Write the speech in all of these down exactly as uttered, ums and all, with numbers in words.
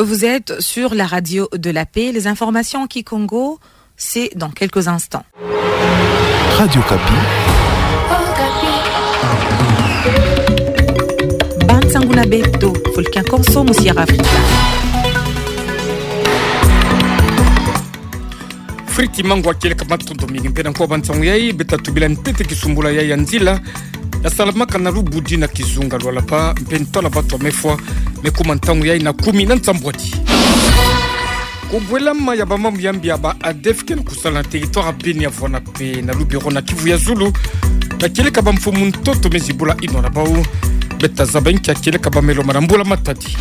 Vous êtes sur la radio de la paix. Les informations en kikongo, c'est dans quelques instants. Radio Okapi. Bansangu na beto, fulu kia konso mu Sierra Africa. Friti Mangwa kieleka matondo mingi. Mpe na nkoa bansangu yai, beta tubila ntete kisumbula yai ya nzila ya salamaka na Lubudi na kizunga Lualaba, mpe ntwala batu ya mefwa mekuma ntangu yai na kumi na nsambwadi. Kubwelama ya bamambu ya mbi ya ba ADF ke na kusala na territoire ya Beni ya vwana mpe na lubero na Kivu ya Zulu, na kieleka bamfumu ntoto mezi bula inwa na bau. Beta zaba nkia kieleka bamelo ma na mbula matadi.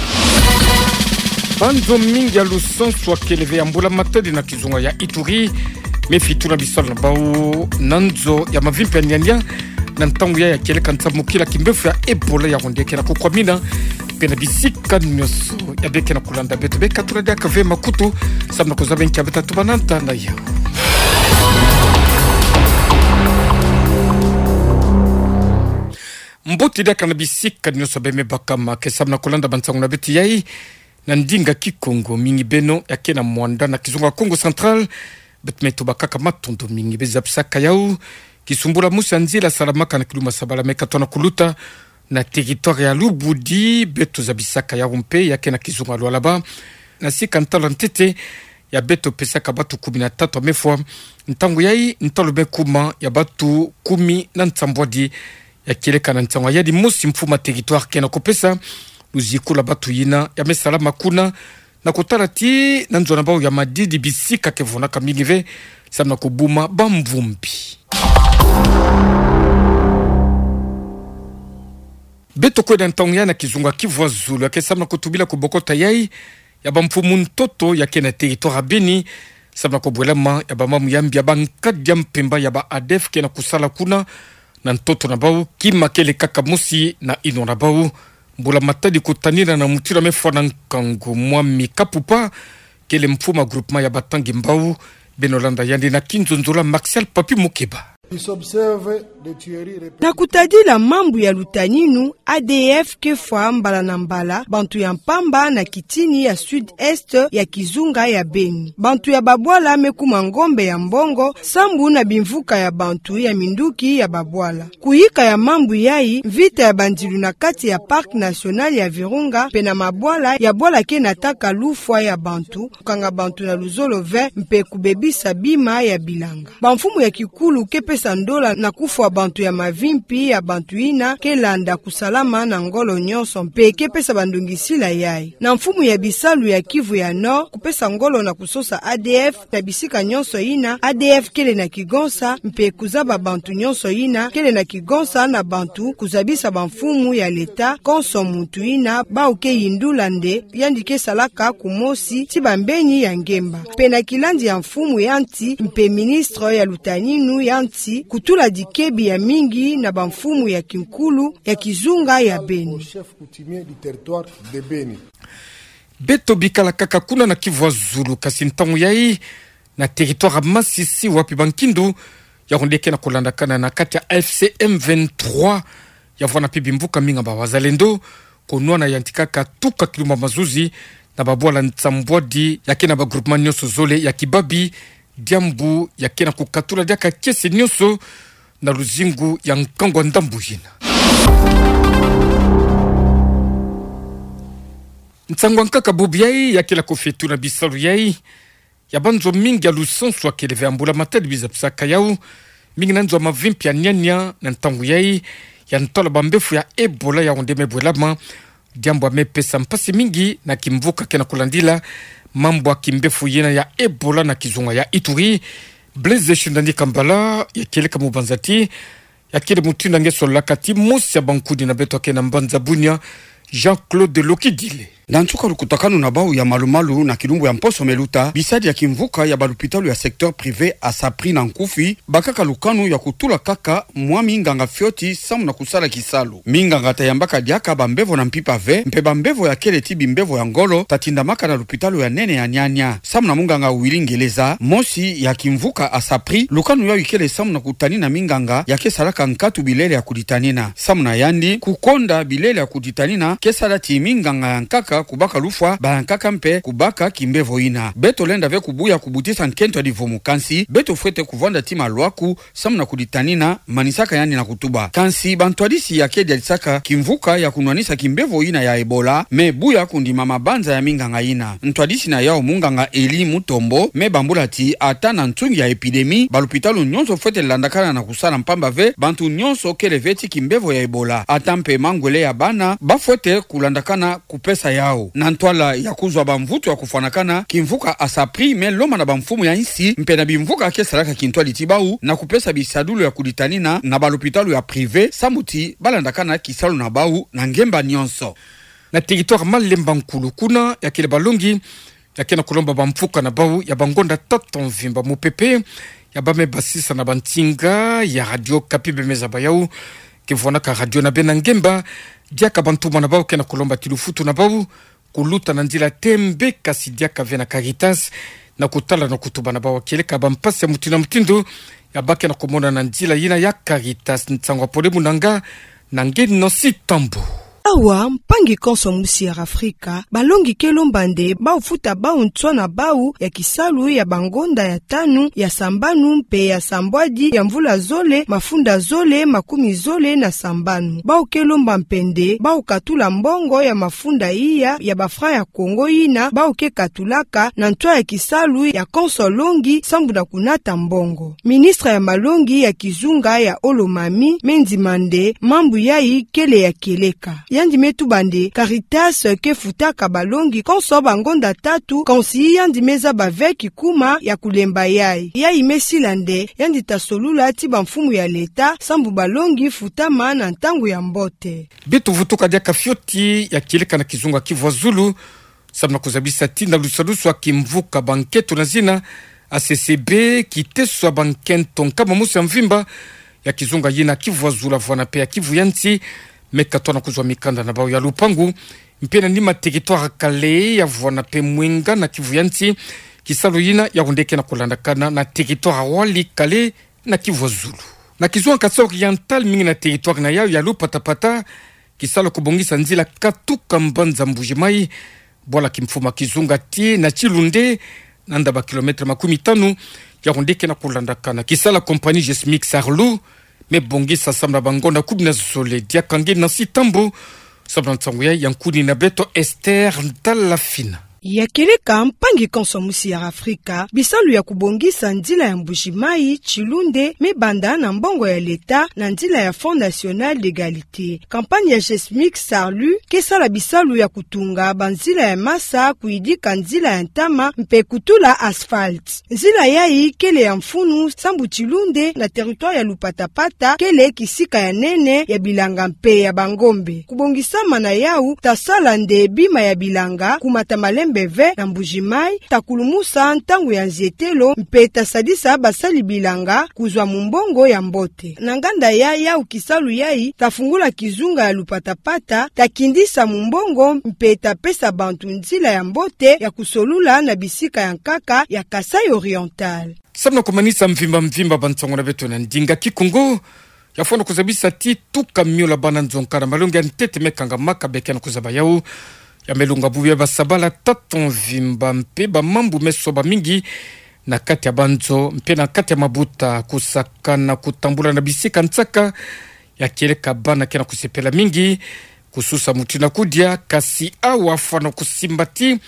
Banzo mingi ya lusansu ya kele ve ya mbula matadi na kizunga ya Ituri mefituna bisalu na bau na nzo ya mavimpi ya niania, na ntangu yai ya kieleka nsamukila kimbefu ya Ebola ya honde ke na kukwamina mpe na bisika nionso ya beke na kulanda beto. Beka tula diaka ve makutu, samu na kuzaba nkia beta tubananta na yau. Mbote diaka na bisika nionso bemebakama ke samu na kulanda bansangu na beto yai na ndinga Kikongo, mingi beno ya ke na mwanda na kizunga Kongo Central, beto me tuba kaka matondo mingi. Beta zabisaka yau kisumbula mosi ya nzila salamaka na kiluma sabala meka tona kuluta na territoire ya Lubudi, beto zabisaka yau mpe ya ke na kizunga Lualaba, na sika ntalo ntete ya beto pesaka batu kumi na tatu ya mefwa. Ntangu yai ntalo mekuma ya batu kumi na nsambwadi. Ya kieleka na nsangu ya yadi mosi mfumu ya territoire ke na kupesa luziku la batu yina ya me salama kuna, na kutala ti na nzo na bau ya Madidi bisika ke vonaka mingi ve samu na kubuma bamvumbi. Beto kwenda ntangu yai na kizunga Kivu ya Zulu ya ke samu na kutubila kubokota yai ya bamfumu ntoto ya ke na territoire ya Beni, samu na kubwelama ya bamambu ya mbi ya bankadi ya mpemba ya ba ADF ke na kusala kuna na ntoto na bau, kima kele kaka mosi na inwa na bau. Mbula matadi kutanina na mutindu ya mefwa na nkangu. Mwami Kapupa kele mfumu ya groupement ya Batangi Mbau. Beno landa yandi na kinzonzolo ya Martial Papi Mukeba. Na kutadila mambu ya lutaninu, ADF ke fwa mbala na mbala bantu ya mpamba na kitini ya sud-est ya kizunga ya Beni. Bantu ya babwala mekuma ngombe ya mbongo sambu na bimvuka ya bantu ya minduki ya babwala. Kuyika ya mambu yai, mvita ya bandilu na kati ya Parc National ya Virunga mpe na mabwala ya bwala ke nataka lufwa ya bantu, kukanga bantu na luzolo ve mpe kubebisa bima ya bilanga. Bamfumu ya kikulu ke pesa ndola na kufwa bantu ya mavimpi ya bantu yina ke landa kusalama na ngolo nionso mpe ke pesa bandongisila yai. Na mfumu ya bisalu ya Kivu ya Nord kupesa ngolo na kusosa ADF na bisika nionso yina ADF kele na kigonsa mpe kuzaba bantu nionso yina kele na kigonsa na bantu, kuzabisa bamfumu ya leta konso muntu yina bau ke yindula nde yandi ke salaka kumosi ti bambeni ya ngemba. Mpe na kilandi ya mfumu ya nsi mpe ministre ya lutaninu ya nsi kutula dikebi ya mingi na bamfumu ya kinkulu ya kizunga ya Beni. Beto bikala kaka kuna na Kivu ya Zulu, kasi ntangu yai na territoire ya Masisi, wapi bankindu ya honde ke na kulandakana na kati ya AFC M vingt-trois ya vwana mpe bimvuka mingi ya ba wazalendo, konwana yantikaka tuka kilumbu ya mazuzi na babwala nsambwadi ya ke na ba groupement nionso zole ya Kibabi, diambu ya ke na kukatula diaka kiese nionso na luzingu ya nkangu ya ndambu yina. Nsangu ya nkaka bubu yai ya kele kofetu na bisalu yai ya banzo mingi ya lusansu ya kele ve ya mbula matadi, beno zabisaka yau, mingi na nzo ya mavimpi ya niania na ntangu yai ya ntwala bambefu ya Ebola ya honde me bwelama, diambu ya me pesa mpasi mingi na kimvuka ke na kulandila mambu ya kimbefu yina ya Ebola na kizunga ya Ituri. Blaise Shindani Kambala ya kieleka mubanza ti ya kele mutindu nge solaka ti mosi ya bankudi na beto ya ke na mbanza Bunia, Jean-Claude Lokidile. Na nsuka lukutakanu na bau ya malu-malu na kilumbu ya mposo me luta, bisadi ya kimvuka ya balupitalu ya secteur privé ASAPRI na nkufi bakaka lukanu ya kutula kaka mwa minganga fioti samu na kusala kisalu. Minganga ta yambaka diaka bambevo na mpimpa ve, mpe bambevo ya kele ti bimbevo ya ngolo ta tindamaka na lupitalu ya nene ya niania. Samu na munganga Willy Ngeleza, mosi ya kimvuka ASAPRI, lukanu yayi kele samu na kutanina minganga ya ke salaka nkatu bilele ya kuditanina. Samu na yandi, kukonda bilele ya kuditanina ke sala ti minganga ya nkaka kubaka lufwa, bala nkaka mpe kubaka kimbevo yina. Beto lenda ve kubuya kubutisa nkento ya livumu, kansi beto fwete kuvwanda ti maluaku samu na kulitanina, manisaka yandi na kutuba. Kansi bantwadisi ya kedialisaka kimvuka ya kunwanisa kimbevo yina ya Ebola me buya kondima mabanza ya minganga yina. Ntwadisi na yawu, munganga Elie Mutombo, me bambula ti ata na nsungi ya épidémie, balopitalo nyonso fwete landakana na kusala mpamba ve bantu nyonso kele ve ti kimbevo ya Ebola. Ata mpe mangwele ya bana, bafwete kulandakana kupesa yawu. Na ntwala ya kuzwa bamvutu ya kufwanakana, kimvuka ASAPRI me lomba na bamfumu ya insi mpe na bimvuka ke salaka kintwadi ti bawu na kupesa bisadulu ya kulitanina na balopitalo ya privé, samu ti balandakana kisalu na bawu na ngemba nyonso. Na territoire Malemba Nkulu, kuna ya kele balongi ya ke na kulomba bamfuka na bawu ya bangonda tata mvimba, mupepe ya bam'e basisa na bansinga ya Radio Okapi, bem'e zaba yawu ke vwanaka radio na bena ngemba. Diaka bantuma na bawu ke na kulomba ti lufutu na bawu kuluta na nzila tembe, kasi diaka ve na Caritas na kutala na kutuba na bawu kieleka bampasi ya mutindu na mutindu ya ba ke na kumona na nzila yina ya Caritas. Nsangu ya pole munanga na nge Nosi Tambu. Awa, mpangi konso musi ya Afrika, balongi ke lomba nde bawu futa bawu nswa na bawu ya kisalu ya bangonda ya tanu, ya sambanu mpe ya sambwadi ya mvula zole, mafunda zole, makumi zole na sambanu. Bawu ke lomba mpe nde bawu katula mbongo ya mafunda iya ya ba franc ya Congo yina bawu ke katulaka na nswa ya kisalu ya konso longi sambu na kunata mbongo. Ministre ya malongi ya kizunga ya Olomami me ndima nde mambu yayi kele ya kieleka. Yandi me tuba nde Caritas ke futaka balongi konso bangonda tatu, kansi yandi me zaba ve kikuma ya kulemba yayi. Yayi me sila nde yandi ta solula ti bamfumu ya leta sambu balongi futama na ntangu ya mbote. Beto vutuka diaka fioti ya kieleka na kizunga Kivu ya Zulu, samu na kuzabisa ti na lusadusu ya kimvuka bankento na zina A C C B, kiteso ya bankento nkama mosi ya mvimba ya kizunga yina Kivu ya Zulu ya vwana mpe ya Kivu ya Nsi me katona kuzwa mikanda na bawu ya lupangu mpe na nima territoire Kale ya vwana mpe Mwenga na Kivu ya Nsi. Kisalu yina ya onde ke na kulandakana na territoire Walikale na Kivu ya Zulu. Na kizunga Kasai Oriental, mingi na territoire na yawu ya Lupatapata, kisalu kubongisa nzila katuka mbanza Mbuji-Mayi, bwala kimfumu ya kizunga tii na Tilunde, na nda ba kilomètre makumi tanu, ya onde ke na kulandakana. Kisalu ya compagnie Gesmic Sarlu me bongisa samu na bangonda kumi na zole. Diaka nge Nosi Tambu samu na nsangu yayi, ya nkuni na beto Esther Ntalafina. Ya kieleka, mpangi konso musi ya Afrika, bisalu ya kubongisa nzila ya Mbuji-Mayi Tilunde me banda na mbongo ya leta na nzila ya Fonds National d'Égalité. Campagne ya Gesmic Sarlu ke sala bisalu ya kutunga banzila ya masa, kuyidika nzila ya ntama mpe kutula asphalte. Nzila yayi kele ya mfunu sambu Tilunde na territoire ya Lupatapata kele kisika ya nene ya bilanga mpe ya bangombe. Kubongisama na yawu ta sala nde bima ya bilanga kumata malembe ve na Mbuji-Mayi, ta kulumusa ntangu ya nzietelo mpe ta sadisa basali bilanga kuzwa mumbongo ya mbote. Na nganda ya yawu, kisalu yayi ta fungula kizunga ya Lupatapata, ta kindisa mumbongo mpe ta pesa bantu nzila ya mbote ya kusolula na bisika ya nkaka ya Kasai Oriental. Samu na kumanisa mvimba mvimba bansangu na beto na ndinga Kikongo, ya fwana kuzabisa ti tuka miola bana nzonka na malongi ya ntete me kangamaka, be ke na kuzaba yawu, ya me lunga bubu ya basabala tata mvimba mpe bamambu me soba mingi na kati ya banzo mpe na kati ya mabuta. Kusakana kutambula na bisika nsaka ya kieleka bana ke na kusepela mingi, kususa mutindu na kudia, kasi awa fwana kusimba ti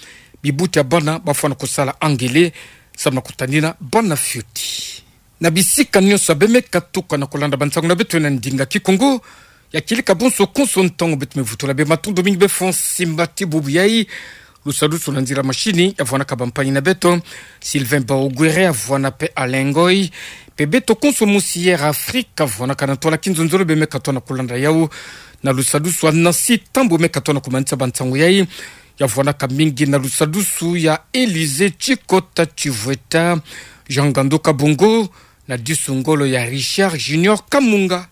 bibuti ya bana ba fwana kusala angele samu na kutanina bana fioti. Na bisika nyonso ya be me katuka na kulanda bansangu na beto na ndinga Kikongo, ya kieleka bonso konso ntangu beto me vutula be, matondo mingi bafo simba ti bubu yayi. Lusadusu na nzila machine ya vwanaka bampangi na beto, Sylvain Baogwere ya vwana mpe Alain Ngoy, mpe beto konso musi ya Afrika vwanaka na ntwala kinzonzolo, be me katona kulanda yawu. Na lusadusu ya Nosi Tambu me katona kumanisa bansangu yayi, ya vwanaka mingi na lusadusu ya Elysée Tshikota Tshivweta, Jean Ngandu Kabongo, na disu ngolo ya Richard Junior Kamunga.